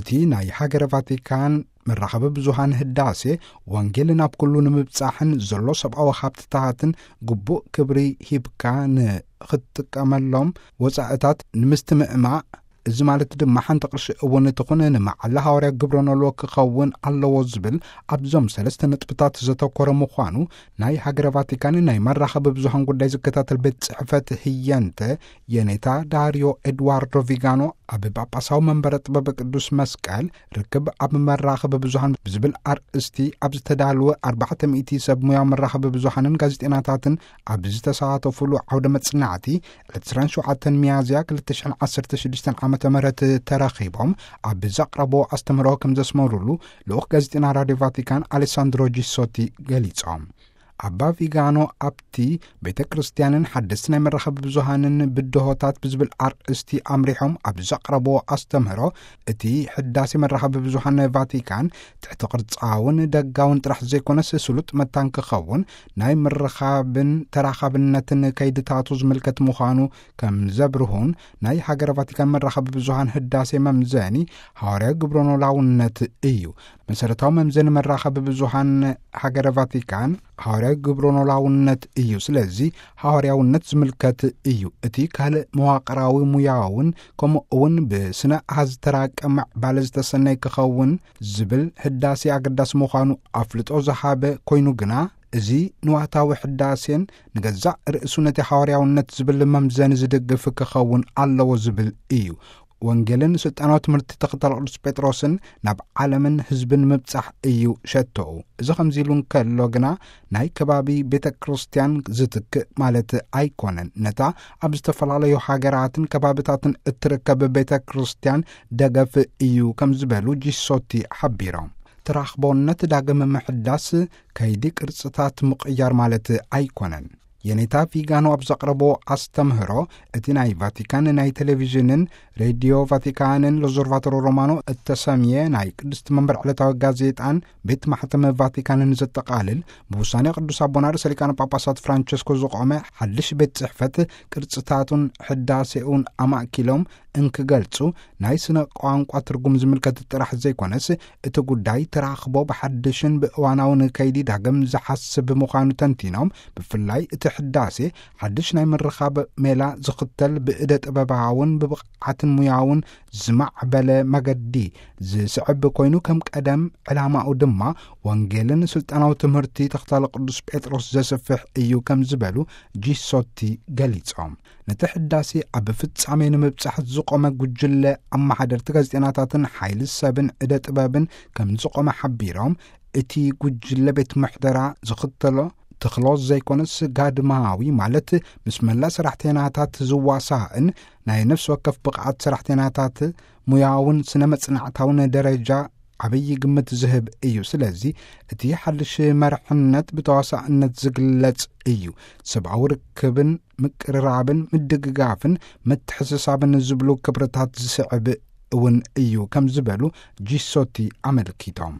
እቲ ናይ ሃገረ ቫቲካን መራኸቢ ብዙሃን ህዳሴ፣ ወንጌል ናብ ኩሉ ንምብጻሕን ዘሎ ሰብኣዊ ሃብትታትን ግቡእ ክብሪ ሂብካ ንኽትጥቀመሎም ወጻእታት ንምስትምዕማእ፣ እዚ ማለት ድማ ሓንቲ ቅርሺ እውን ትኹን ንመዓላ ሃዋርያ ግብረ ኖልዎ ክኸውን ኣለዎ ዝብል ኣብዞም ሰለስተ ነጥብታት ዘተኮረ ምዃኑ ናይ ሃገረ ቫቲካን ናይ መራኸቢ ብዙሃን ጉዳይ ዝከታተል ቤት ጽሕፈት ህየንተ የኔታ ዳርዮ ኤድዋርዶ ቪጋኖ ኣብ ጳጳሳዊ መንበረ ጥበብ ቅዱስ መስቀል ርክብ ኣብ መራኸቢ ብዙሃን ብዝብል ኣርእስቲ ኣብ ዝተዳለወ ኣርባዕተ ሚእቲ ሰብ ሙያ መራኸቢ ብዙሃንን ጋዜጠናታትን ኣብ ዝተሳተፉሉ ዓውደ መጽናዕቲ ዕለት ዕስራን ሸውዓተን ሚያዝያ ክልተ ሽሕን ዓሰርተ ሽዱሽተን ዓመተ ምህረት ተረኺቦም ኣብ ዘቕረቦ ኣስተምህሮ ከም ዘስመሩሉ ልኡኽ ጋዜጠና ራድዮ ቫቲካን ኣሌሳንድሮ ጂሶቲ ገሊጾም። ኣባ ቪጋኖ ኣብቲ ቤተ ክርስቲያንን ሓደስቲ ናይ መራኸቢ ብዙሃንን ብድሆታት ብዝብል ኣርእስቲ ኣምሪሖም ኣብ ዘቕረብዎ ኣስተምህሮ፣ እቲ ሕዳሴ መራኸቢ ብዙሃን ቫቲካን ትሕቲ ቅርጻውን ደጋውን ጥራሕ ዘይኮነስ ስሉጥ መታን ክኸውን ናይ ምርኻብን ተራኻብነትን ከይድታቱ ዝምልከት ምዃኑ ከም ዘብርሁን ናይ ሃገረ ቫቲካን መራኸቢ ብዙሃን ህዳሴ መምዘኒ ሃዋርያዊ ግብረ ኖላውነት እዩ። መሰረታዊ መምዘኒ መራኸቢ ብዙሃን ሃገረ ቫቲካን ሃዋርያዊ ግብረ ኖላውነት እዩ። ስለዚ ሃዋርያውነት ዝምልከት እዩ። እቲ ካልእ መዋቕራዊ ሙያውን ከምኡ እውን ብስነ ኣሃዝ ዝተራቀ ምዕባለ ዝተሰነይ ክኸውን ዝብል ህዳሴ ኣገዳሲ ምዃኑ ኣፍልጦ ዝሃበ ኮይኑ ግና፣ እዚ ንዋታዊ ሕዳሴን ንገዛእ ርእሱ ነቲ ሃዋርያውነት ዝብል መምዘኒ ዝድግፍ ክኸውን ኣለዎ ዝብል እዩ። ወንጌልን ስልጣናዊ ትምህርቲ ተኸታሊ ቅዱስ ጴጥሮስን ናብ ዓለምን ህዝብን ምብጻሕ እዩ ሸቶኡ። እዚ ከምዚ ኢሉ እንከሎ ግና፣ ናይ ከባቢ ቤተ ክርስቲያን ዝትክእ ማለት ኣይኮነን። ነታ ኣብ ዝተፈላለዩ ሃገራትን ከባብታትን እትርከብ ቤተ ክርስቲያን ደገፍ እዩ ከም ዝበሉ ጂሶቲ ሓቢሮም። ተራኽቦነት ዳግም ምሕዳስ ከይዲ ቅርጽታት ምቕያር ማለት ኣይኮነን። የኔታ ቪጋኖ ኣብ ዘቕረቦ ኣስተምህሮ፣ እቲ ናይ ቫቲካን ናይ ቴሌቪዥንን ሬድዮ ቫቲካንን ሎዞርቫቶሮ ሮማኖ እተሰምየ ናይ ቅድስቲ መንበር ዕለታዊ ጋዜጣን ቤት ማሕተም ቫቲካንን ዘጠቓልል፣ ብውሳኔ ቅዱስ ኣቦና ርእሰ ሊቃነ ጳጳሳት ፍራንቸስኮ ዝቖመ ሓድሽ ቤት ጽሕፈት ቅርጽታቱን ሕዳሴኡን ኣማእኪሎም እንክገልጹ፣ ናይ ስነ ቋንቋ ትርጉም ዝምልከት ጥራሕ ዘይኮነስ፣ እቲ ጉዳይ ተራኽቦ ብሓድሽን ብእዋናውን ከይዲ ዳግም ዝሓስብ ምዃኑ ተንቲኖም፣ ብፍላይ እቲ ሕዳሴ ሓድሽ ናይ ምርኻብ ሜላ ዝኽተል ብእደ ጥበባውን ብብቕዓትን ሙያውን ዝማዕበለ መገዲ ዝስዕብ ኮይኑ፣ ከም ቀደም ዕላማኡ ድማ ወንጌልን ስልጣናዊ ትምህርቲ ተኸታሊ ቅዱስ ጴጥሮስ ዘስፍሕ እዩ ከም ዝበሉ ጂሶቲ ገሊጾም። ነቲ ሕዳሴ ኣብ ፍጻሜ ንምብጻሕ ዝቖመ ጉጅለ ኣመሓደርቲ ጋዜጠናታትን ሓይሊ ሰብን ዕደ ጥበብን ከም ዝቖመ ሓቢሮም፣ እቲ ጉጅለ ቤት ምሕደራ ዝኽተሎ ተኽሎ ዘይኮነስ ጋድማዊ ማለት ምስ መላ ሰራሕተናታት ዝዋሳእን ናይ ነፍሲ ወከፍ ብቕዓት ሰራሕተናታት ሙያውን ስነ መጽናዕታውን ደረጃ ዓብዪ ግምት ዝህብ እዩ። ስለዚ እቲ ሓድሽ መርሕነት ብተዋሳእነት ዝግለጽ እዩ። ሰብኣዊ ርክብን ምቅርራብን ምድግጋፍን ምትሕስሳብን ዝብሉ ክብርታት ዝስዕብ እውን እዩ ከም ዝበሉ ጂሶቲ ኣመልኪቶም።